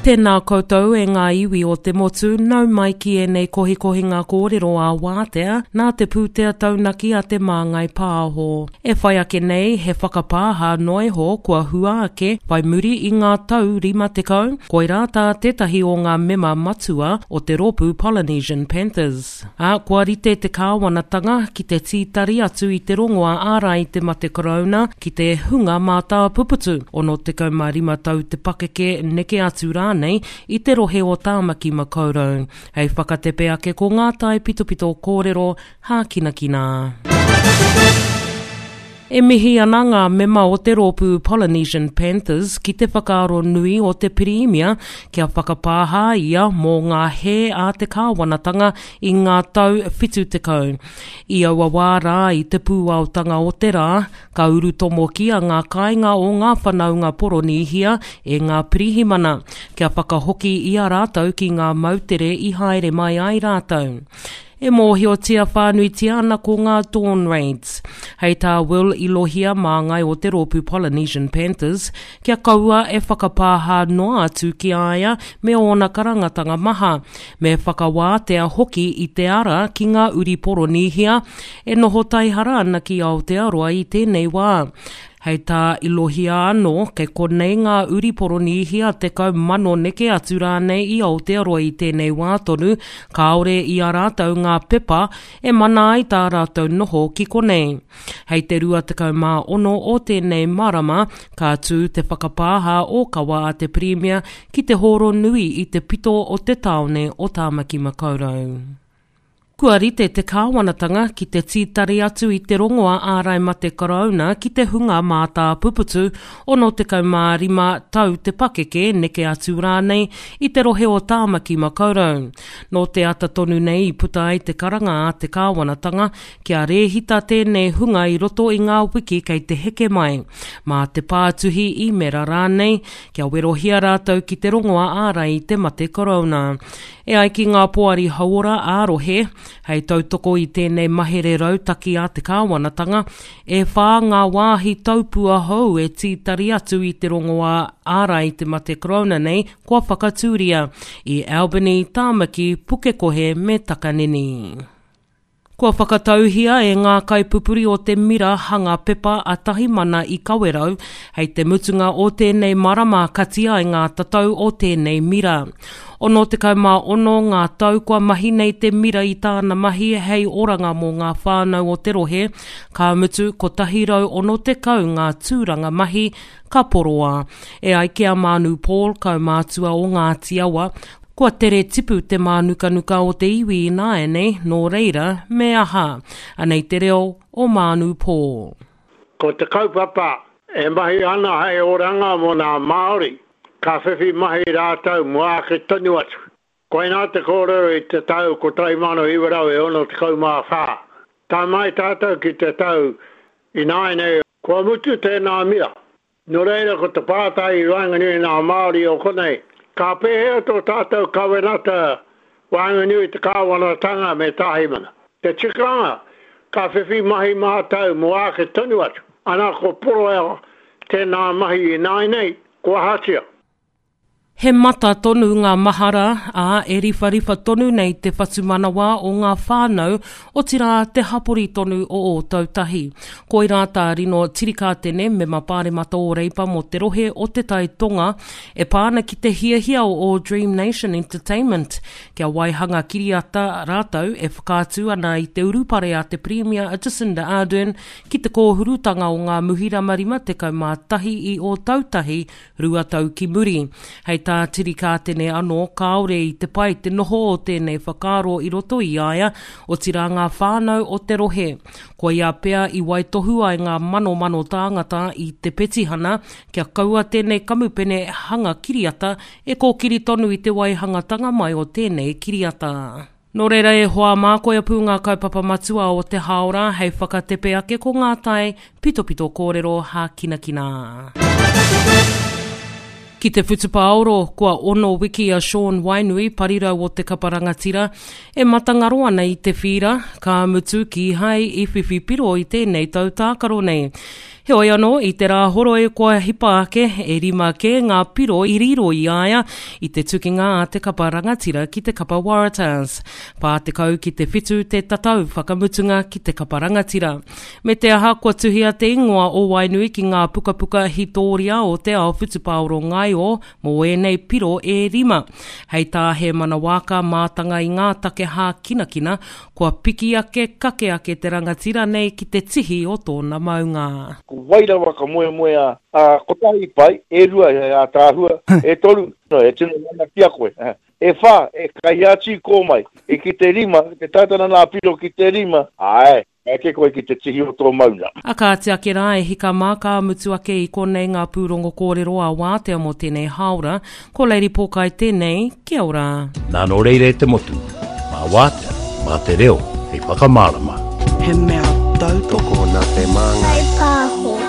Tēnā koutou e ngā iwi o te motu, nau mai ki ēnei kohikohinga kōrero ā-wātea nā te pūtea taunaki a Te Māngai Pāho. E whai ake nei he whakapāha noa iho kua hua ake whai muri i ngā tau 50, koirā tā tētahi o ngā mema matua o te rōpū Polynesian Panthers. Ā, kua rite te kāwanatanga ki te tītari atu i te rongoā ārai i te mate korouna ki te hunga mātāpuputu, 65 tau te pakeke, neke atu rānei, i te rohe o Tāmaki Makaurau. Hei whakatepe ake ko ngā taipitopito kōrero hākinakina. E mihi ana ngā mema o te rōpū Polynesian Panthers ki te whakaaro nui o te Pirimia kia whakapāha ia mō ngā hē a te kāwanatanga i ngā tau 70. I aua wā rā i te pūaotanga o te rā, ka urutomokia ngā kāinga o ngā whanaunga Poronīhia e ngā pirihimana kia whakahoki i a rātou ki ngā moutere i haere mai ai rātou. E mōhiotia whānuitia ana ko ngā Dawn Raids. Hei tā Will Ilohia māngai o te rōpū Polynesian Panthers, kia kaua e whakapāha noa atu ki a ia me ōna karangatanga maha, me whakawātea hoki i te ara ki ngā uri Poronīhia e noho taihara ana ki Aotearoa i tēnei wā. Hei tā Ilohia anō, kei konei ngā uri Poronīhia 10,000 neke atu rānei i Aotearoa i tēnei wā tonu, kāore i a rātou ngā pepa e mana ai tā rātou noho ki konei. Hei te 26 o tēnei marama, ka tū te whakapāha ōkawa a te Pirimia ki te hōro nui i te pito o te tāone o Tāmaki Makaurau. Kua rite te kāwanatanga ki te tītari atu i te rongoa ārai mate korouna ki te hunga mātāpuputu 65 tau te pakeke, neke atu rānei, i te rohe o Tāmaki Makaurau. Nō te ata tonu nei i puta ai te karanga a te kāwanatanga kia rēhita tēnei hunga i roto i ngā wiki kei te heke mai, mā te pātuhi īmera rānei, kia werohia rātou ki te rongoa ārai i te mate korouna. E ai ki ngā poari hauora ā-rohe, hei tautoko i tēnei mahere rautaki a te kāwanatanga, e whā ngā wāhi taupua hou e tītari atu i te rongoā ārai i te mate korona nei kua whakatūria, i Albany, Tāmaki, Pukekohe me Takanini. Kua whakatauhia e ngā kaipupuri o te mira hanga pepa a Tahimana i Kawerau, hei te mutunga o tēnei marama kati ai ngā tatau o tēnei mira. 66 ngā tau kua mahi nei te mira i tāna mahi hei oranga mō ngā whānau o te rohe, ka mutu 160 ngā tūranga mahi ka poroa. E ai ki a Mānu Paul, kaumātua o Ngāti Awa, Kua tere tipu te mānukanuka o te iwi ināianei, nō reira, me aha? Anei te reo o Mānu Paul. Ko te kaupapa e mahi ana hei oranga mō nā Māori, ka whiwhi mahi rātou mō ake tonu atu. Koinā te kōrero i te tau 1964. Tae mai tātou ki te tau ināianei, kua mutu tēnā mira. Nō reira ko te pātai i waenganui i ngā Māori o konei, ka pēhea tō tātou kawenata waenganui i te kāwanatanga me Tāhimana? Te tikanga, ka whiwhi mahi mātou mō āke tonu atu. Ana ko poroa tēnā mahi ināinei, kua ahatia? He mata tonu ngā mahara, ā, e riwhariwha tonu nei te whatumanawa o ngā whānau, otirā te hapori tonu o Ōtautahi. Koirā tā Rino Tirikātene, mema pāremata o Reipa mō te rohe o Te Tai Tonga, e pā ana ki te hiahia o All Dream Nation Entertainment kia waihanga kiriata rātou e whakaatu ana i te urupare a te Pirimia a Jacinda Ardern ki te kōhurutanga o ngā muhirama 51 i Ōtautahi 2 tau ki muri. Hei tā Tirikātene anō, kāore i te pai te noho o tēnei whakaaro i roto i a ia, otirā ngā whānau o te rohe. Koia pea i waitohu ai ngā manomano tāngata i te petihana kia kaua tēnei kamupene hanga kiriata e kōkiri tonu i te waihangatanga mai o tēnei kiriata. Nō reira e hoa mā, koia pū ngā kaupapa matua o te hāora hei whakatepe ake ko ngā tae pitopito kōrero hākinakina. Ki te whutupaoro, kua ono wiki a Sean Wainui, parirau o te kapa rangatira, e matangaro ana i te whīra, ka mutu kīhai i whiwhi piro i tēnei tau tākaro nei. Heoi anō, i te Rāhoroi kua hipa ake, e rima kē ngā piro i riro i a ia i te tukinga a te kapa rangatira ki te kapa Waratahs. 40 ki te whitu te tatau whakamutunga ki te kapa rangatira. Me te aha kua tuhia te ingoa o Wainui ki ngā pukapuka hitōria o te ao whutupaoro ngaio mō ēnei piro e rima. Hei tā Hēmana Waaka, mātanga i ngā take hākinakina, kua piki ake, kake ake te rangatira nei ki te tihi o tōna maunga. Ko wai rawa ka moemoeā, ā, kotahi pai, e rua he ātaahua, e toru, e tino mana ki a koe, e whā, e kai atu i kō mai, e ki te rima, te tātana nā piro ki te rima, āe, ka eke koe ki te tihi o tō maunga. A kāti ake rā e hika mā ka mutu ake i konei ngā pūrongo kōrero a Wātea mō tēnei hāora. Ko Lady Pōkai tēnei, kia ora. Nā nō reira e te motu, mā Wātea, mā te reo hei whakamārama. He mea tautoko. Tokona te māngai. Whai pāho.